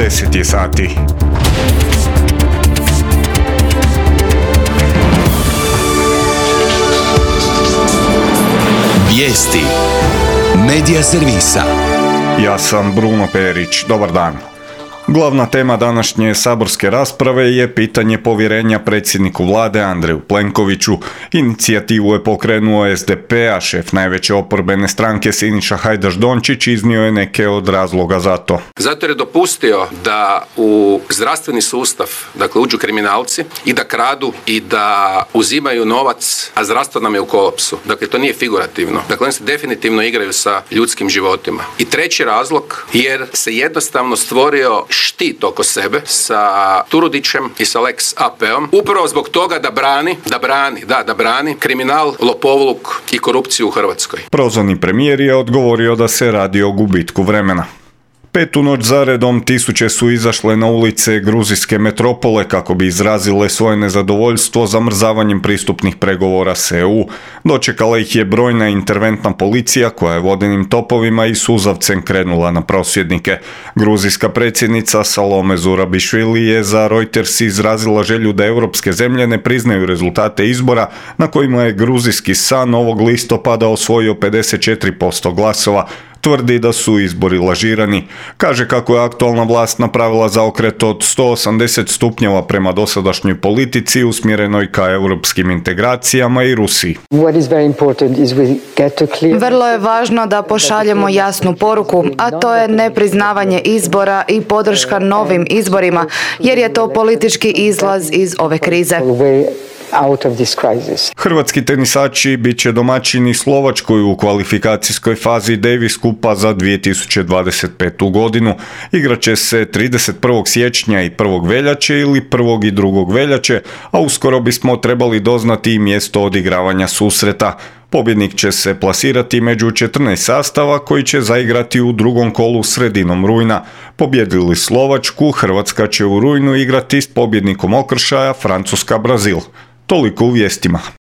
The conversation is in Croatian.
10 je sati. Vijesti Medija servisa. Ja sam Bruno Perić. Dobar dan. Glavna tema današnje saborske rasprave je pitanje povjerenja predsjedniku vlade Andreju Plenkoviću. Inicijativu je pokrenuo SDP, a šef najveće oporbene stranke Siniša Hajdaš-Dončić iznio je neke od razloga za to. Zato jer je dopustio da u zdravstveni sustav, dakle, uđu kriminalci i da kradu i da uzimaju novac, a zdravstvo nam je u kolapsu. Dakle, to nije figurativno. Dakle, oni se definitivno igraju sa ljudskim životima. I treći razlog, jer se jednostavno stvorio štit oko sebe sa Turudićem i sa Lex AP-om, upravo zbog toga da brani kriminal, lopovluk i korupciju u Hrvatskoj. Prozvani premijer je odgovorio da se radi o gubitku vremena. Petu noć zaredom tisuće su izašle na ulice gruzijske metropole kako bi izrazile svoje nezadovoljstvo zamrzavanjem pristupnih pregovora s EU. Dočekala ih je brojna interventna policija koja je vodenim topovima i suzavcem krenula na prosvjednike. Gruzijska predsjednica Salome Zurabišvili je za Reuters izrazila želju da europske zemlje ne priznaju rezultate izbora na kojima je gruzijski San ovog listopada osvojio 54% glasova. Tvrdi da su izbori lažirani. Kaže kako je aktualna vlast napravila zaokret od 180 stupnjeva prema dosadašnjoj politici usmjerenoj ka europskim integracijama i Rusiji. Vrlo je važno da pošaljemo jasnu poruku, a to je nepriznavanje izbora i podrška novim izborima, jer je to politički izlaz iz ove krize. Hrvatski tenisači bit će domaćini Slovačkoj u kvalifikacijskoj fazi Davis Kupa za 2025. godinu. Igraće se 31. siječnja i 1. veljače ili 1. i 2. veljače, a uskoro bismo trebali doznati i mjesto odigravanja susreta. Pobjednik će se plasirati među 14 sastava koji će zaigrati u drugom kolu sredinom rujna. Pobjedili Slovačku, Hrvatska će u rujnu igrati s pobjednikom okršaja Francuska-Brazil. Toliko u vijestima.